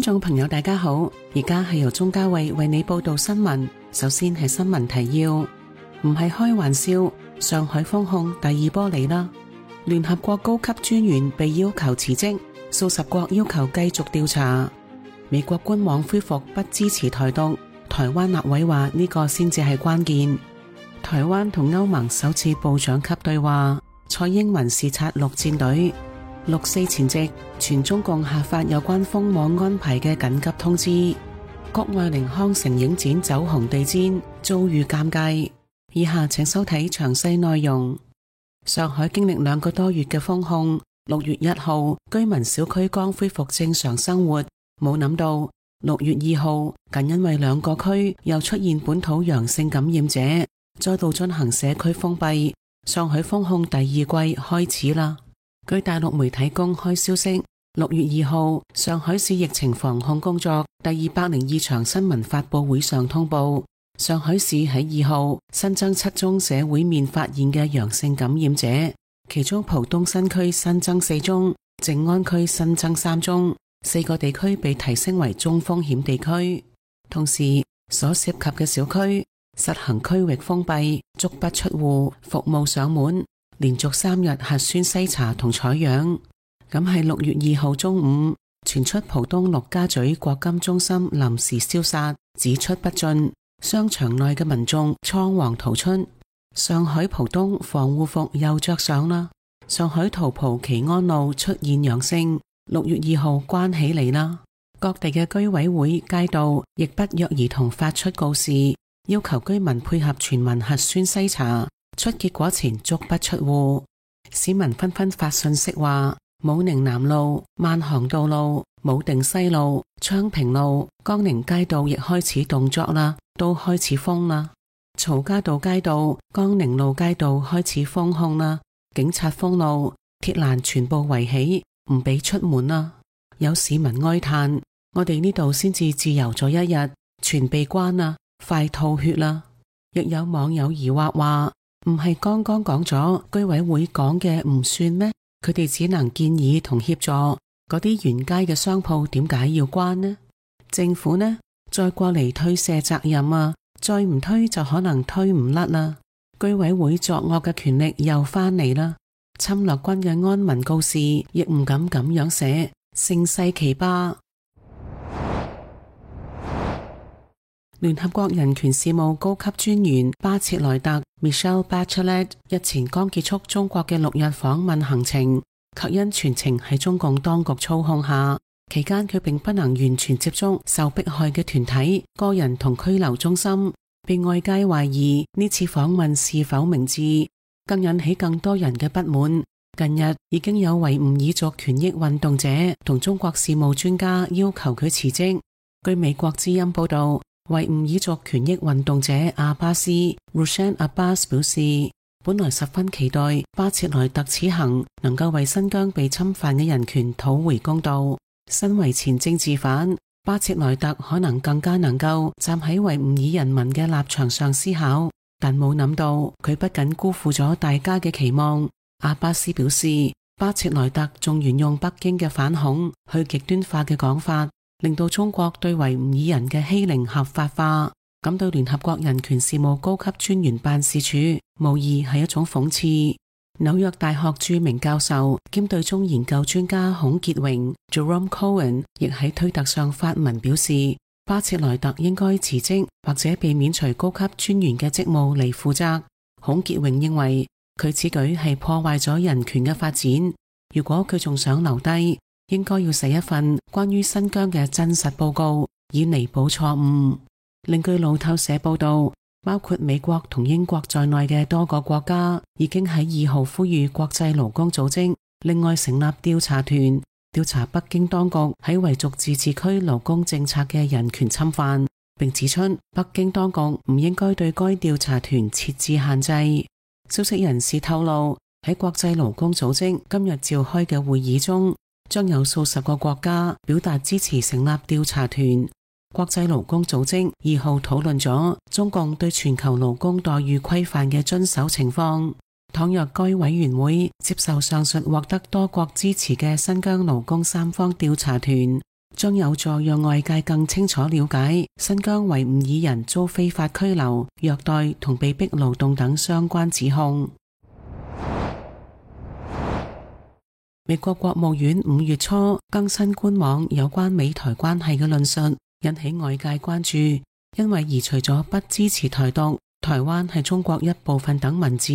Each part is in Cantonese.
眾朋友大家好，而家係由鍾嘉慧為你報道新聞。首先係新聞提要，唔係開玩笑，上海封控第二波嚟啦。聯合國高級專員被要求辭職，數十國要求繼續調查。美國官網恢復不支持台獨，台灣立委話呢個先至係關鍵。台灣同歐盟首次部長級對話，蔡英文視察陸戰隊。6四前夕，全中共下發有關封網安排嘅緊急通知。谷愛凌康城影展走紅地毯，遭遇尷尬。以下請收睇詳細內容。上海經歷2個多月嘅封控，6月1號居民小區剛恢復正常生活，冇諗到6月2號僅因為2個區又出現本土陽性感染者，再度進行社區封閉，上海封控第2季開始啦。據大陸媒體公開消息，6月2號上海市疫情防控工作第202場新聞發佈會上通報，上海市喺2號新增7宗社會面發現嘅陽性感染者，其中浦東新區新增4宗，靜安區新增3宗，4個地區被提升為中風險地區。同時所涉及嘅小區實行區域封閉，足不出戶，服務上門，連續3日核酸篩查同採樣。咁係6月2號中午傳出浦東陸家嘴國金中心臨時消殺，只出不進，商場內嘅民眾倉皇逃出。上海浦東防護服又着上啦。上海桃浦祈安路出現陽性，6月2號關起嚟啦。各地嘅居委會街道亦不約而同發出告示，要求居民配合全民核酸篩查，出結果前足不出戶。市民紛紛發信息話，武寧南路、萬航道路、武定西路、昌平路、江寧街道亦開始動作啦，都開始封啦。曹家渡街道、江寧路街道開始封控啦，警察封路，鐵欄全部圍起，唔俾出門啦。有市民哀嘆，我哋呢度先至自由咗1日，全被關啦，快吐血啦。亦有網友疑惑話，唔係剛剛講咗居委會講嘅唔算咩？佢哋只能建議同協助嗰啲沿街嘅商鋪，點解要關呢？政府呢，再過嚟推卸責任啊，再唔推就可能推唔甩啦。居委會作惡嘅權力又翻嚟啦。侵略軍嘅安民告示亦唔敢咁樣寫，盛世奇葩。聯合國人權事務高級專員巴切萊特 Michelle Bachelet 日前剛結束中國嘅6日訪問行程，卻因全程喺中共當局操控下，期間佢並不能完全接觸受迫害嘅團體、個人同拘留中心，被外界懷疑呢次訪問是否明智，更引起更多人嘅不滿。近日已經有維吾爾族權益運動者同中國事務專家要求佢辭職。據美國之音報道，維吾爾族權益運動者阿巴斯 Rushan Abbas 表示，本來十分期待巴切萊特此行能夠為新疆被侵犯嘅人權討回公道。身為前政治犯，巴切萊特可能更加能夠站喺維吾爾人民嘅立場上思考，但冇諗到佢不僅辜負咗大家嘅期望。阿巴斯表示，巴切萊特仲沿用北京嘅反恐去極端化嘅講法，令到中國對維吾爾人嘅欺凌合法化，感到聯合國人權事務高級專員辦事處無疑係一種諷刺。紐約大學著名教授兼對中研究專家孔傑榮 Jerome Cohen 亦喺推特上發文表示，巴切萊特應該辭職或者被免除高級專員嘅職務嚟負責。孔傑榮認為佢此舉係破壞咗人權嘅發展，如果佢仲想留低，應該要寫一份關於新疆嘅真實報告，以彌補錯誤。另據路透社報道，包括美國同英國在內嘅多個國家已經喺2號呼籲國際勞工組織另外成立調查團，調查北京當局喺維族自治區勞工政策嘅人權侵犯，並指出北京當局唔應該對該調查團設置限制。消息人士透露，喺國際勞工組織今日召開嘅會議中，將有數十個國家表達支持成立調查團。國際勞工組織2號討論咗中共對全球勞工待遇規範嘅遵守情況。倘若該委員會接受上述獲得多國支持嘅新疆勞工3方調查團，將有助讓外界更清楚了解新疆維吾爾人遭非法拘留、虐待同被逼勞動等相關指控。美國國務院5月初更新官網有關美台關係嘅論述，引起外界關注，因為移除咗不支持台獨、台灣係中國一部分等文字，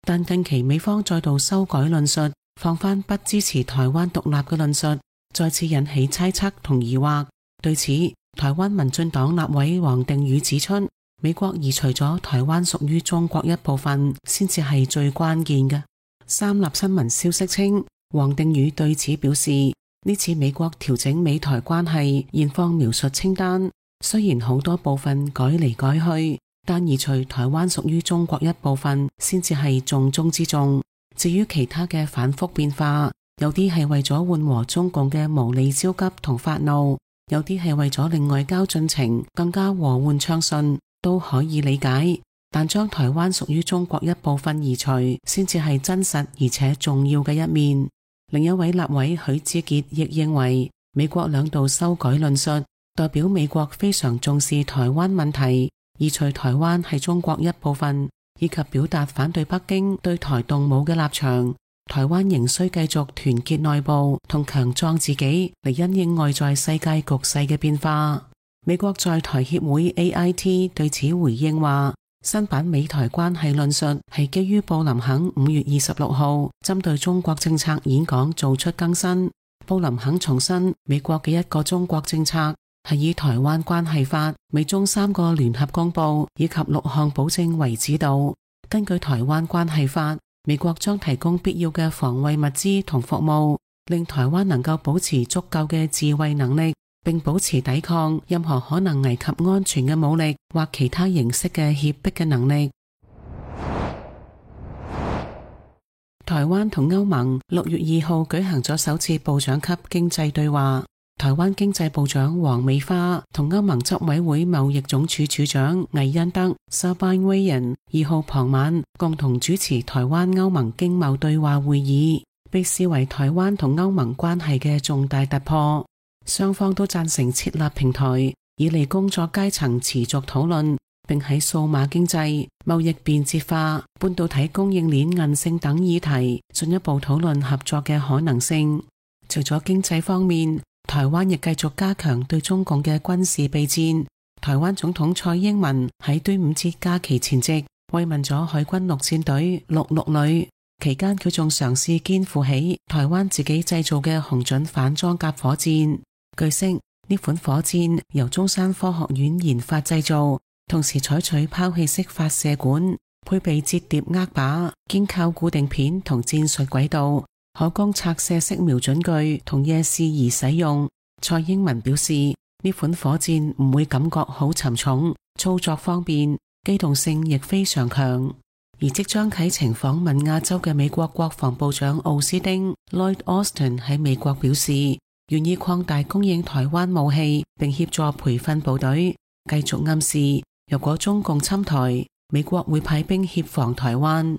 但近期美方再度修改論述，放返不支持台灣獨立嘅論述，再次引起猜測同疑惑。對此，台灣民進黨立委黃定宇指出，美國移除咗台灣屬於中國一部分，先至係最關鍵嘅。三立新聞消息稱，黃定宇對此表示，呢次美國調整美台關係現況描述清單，雖然好多部分改嚟改去，但移除台灣屬於中國一部分先至係重中之重。至於其他嘅反覆變化，有啲係為咗緩和中共嘅無理焦急同發怒，有啲係為咗令外交進程更加和緩暢順，都可以理解。但將台灣屬於中國一部分移除，先至係真實而且重要嘅一面。另一位立委許智傑亦認為，美國兩度修改論述，代表美國非常重視台灣問題，移除台灣係中國一部分，以及表達反對北京對台動武嘅立場。台灣仍需繼續團結內部同強壯自己，嚟因應外在世界局勢嘅變化。美國在台協會 AIT 對此回應話，新版美台關係論述係基於布林肯5月26號針對中國政策演講做出更新。布林肯重申美國嘅一個中國政策係以台灣關係法、美中3個聯合公報以及6項保證為指導。根據台灣關係法，美國將提供必要嘅防衛物資同服務，令台灣能夠保持足夠嘅自衛能力，並保持抵抗任何可能危及安全嘅武力或其他形式嘅脅迫嘅能力。台灣同歐盟6月2號舉行咗首次部長級經濟對話，台灣經濟部長黃美花同歐盟執委會貿易總署署長魏恩德 Sabine Weyand 2號傍晚共同主持台灣歐盟經貿對話會議，被視為台灣同歐盟關係嘅重大突破。雙方都贊成設立平台，以利工作階層持續討論，並喺數碼經濟、貿易便捷化、半導體供應鏈韌性等議題進一步討論合作嘅可能性。除咗經濟方面，台灣亦繼續加強對中共嘅軍事備戰。台灣總統蔡英文喺端午節假期前夕慰問咗海軍陸戰隊66旅，期間佢仲嘗試肩負起台灣自己製造嘅紅準反裝甲火箭。據悉，呢款火箭由中山科學院研發製造，同時採取拋棄式發射管，配備摺疊握把，兼靠固定片同戰術軌道，可供拆卸式瞄準具同夜視儀使用。蔡英文表示，呢款火箭唔會感覺好沉重，操作方便，機動性亦非常強。而即將啟程訪問亞洲嘅美國國防部長奧斯汀 Lloyd Austin 喺美國表示，願意擴大供應台灣武器，並協助培訓部隊，繼續暗示如果中共侵台，美國會派兵協防台灣。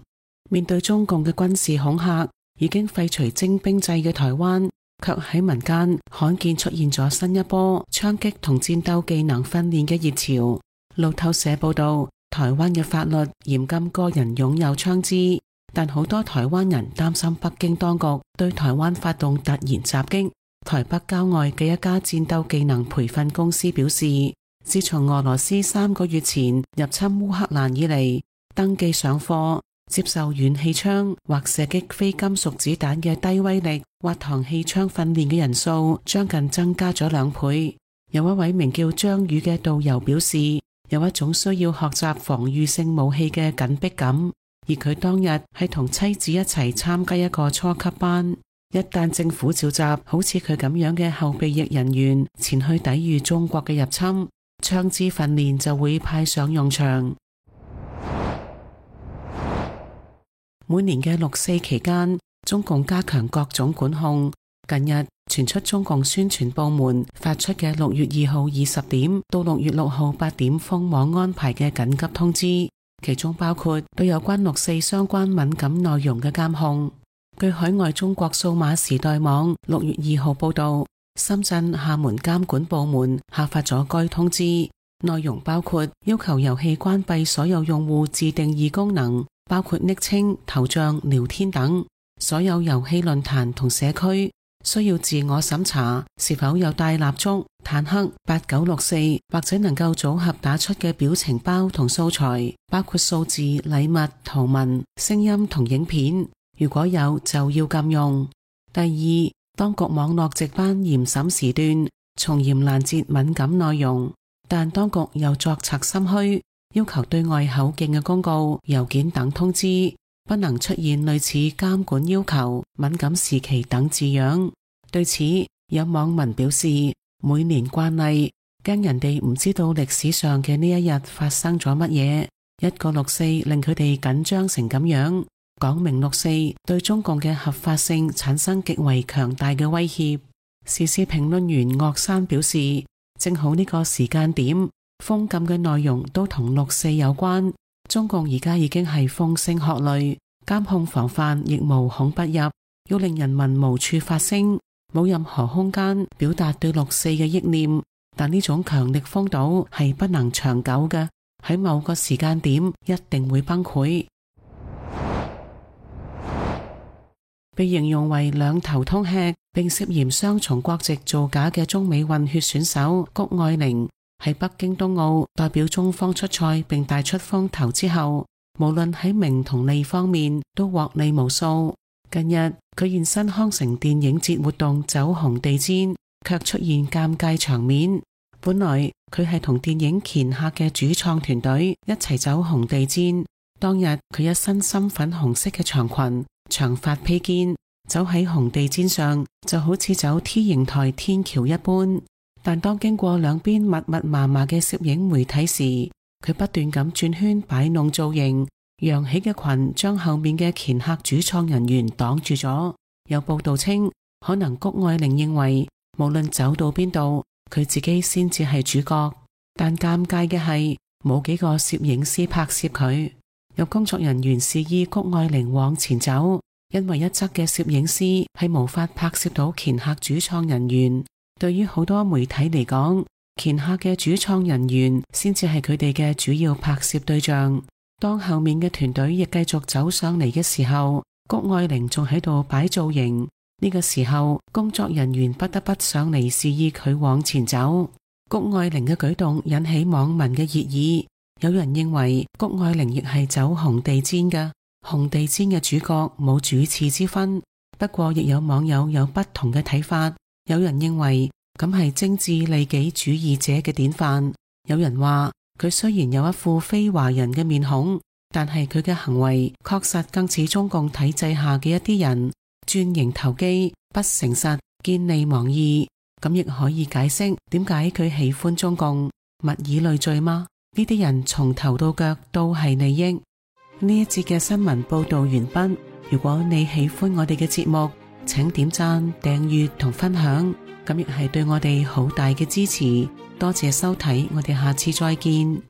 面對中共嘅軍事恐嚇，已經廢除徵兵制嘅台灣，卻喺民間罕見出現咗新一波槍擊同戰鬥技能訓練嘅熱潮。路透社報道，台灣嘅法律嚴禁個人擁有槍支，但好多台灣人擔心北京當局對台灣發動突然襲擊。台北郊外嘅一家戰鬥技能培訓公司表示，自從俄羅斯3個月前入侵烏克蘭以嚟，登記上課接受遠氣槍或射擊非金屬子彈嘅低威力滑膛氣槍訓練嘅人數將近增加咗2倍。有一位名叫張宇嘅導遊表示，有一種需要學習防禦性武器嘅緊迫感，而佢當日係同妻子一齊參加一個初級班。一旦政府召集好似佢咁樣嘅後備役人員前去抵禦中國嘅入侵，槍支訓練就會派上用場。每年嘅6、4期間，中共加強各種管控。近日傳出中共宣傳部門發出嘅6月2號20點到6月6號8點封網安排嘅緊急通知，其中包括對有關6、4相關敏感內容嘅監控。據海外中國數碼時代網6月2號報道，深圳、廈門監管部門下發咗該通知，內容包括要求遊戲關閉所有用戶自定義功能，包括昵稱、頭像、聊天等。所有遊戲論壇同社區需要自我審查是否有帶蠟燭、坦克、8964或者能夠組合打出嘅表情包同素材，包括數字、禮物、圖文、聲音同影片。如果有就要禁用。第二，當局網絡值班嚴審時段，從嚴攔截敏感內容，但當局又作賊心虛，要求對外口徑嘅公告、郵件等通知不能出現類似監管要求、敏感時期等字樣。對此，有網民表示，每年慣例，驚人哋唔知道歷史上嘅呢一日發生咗乜嘢，一個6·4令佢哋緊張成咁樣，講明6·4對中共嘅合法性產生極為強大嘅威脅。時事評論員岳山表示，正好呢個時間點，封禁嘅內容都同6·4有關。中共而家已經係風聲鶴唳，監控防範亦無孔不入，要令人民無處發聲，冇任何空間表達對6·4嘅憶念。但呢種強力封堵係不能長久嘅，喺某個時間點一定會崩潰。被形容為兩頭通吃並涉嫌雙重國籍造假嘅中美混血選手谷愛凌，喺北京冬奧代表中方出賽並帶出風頭之後，無論喺名同利方面都獲利無數。近日佢現身康城電影節活動走紅地氈，卻出現尷尬場面。本來佢係同電影鉗客嘅主創團隊一齊走紅地氈，當日佢一身深粉紅色嘅長裙、長髮披肩，走喺紅地氈上就好似走 T 形台天橋一般。但當經過兩邊密密麻麻嘅攝影媒體時，佢不斷咁轉圈擺弄造型，揚起嘅裙將後面嘅鉗客主創人員擋住咗。有報道稱，可能谷愛凌認為無論走到邊度，佢自己先至係主角。但尷尬嘅係冇幾個攝影師拍攝佢。有工作人員示意谷愛凌往前走，因為一側嘅攝影師係無法拍攝到鉗客主創人員。對於好多媒體嚟講，鉗客嘅主創人員先至係佢哋嘅主要拍攝對象。當後面嘅團隊亦繼續走上嚟嘅時候，谷愛凌仲喺度擺造型。呢個時候，工作人員不得不上嚟示意佢往前走。谷愛凌嘅舉動引起網民嘅熱議，有人認為谷愛凌亦係走紅地氈嘅，紅地氈嘅主角冇主次之分。不過亦有網友有不同嘅睇法。有人認為咁係精致利己主義者嘅典範，有人話佢雖然有一副非華人嘅面孔，但係佢嘅行為確實更似中共體制下嘅一啲人，鑽營投機、不誠實、見利忘義。咁亦可以解釋點解佢喜歡中共，物以類聚嗎？呢啲人從頭到腳都係利益。呢一節嘅新聞報道完畢。如果你喜歡我哋嘅節目，請點讚、訂閱同分享，咁亦係對我哋好大嘅支持。多謝收睇，我哋下次再見。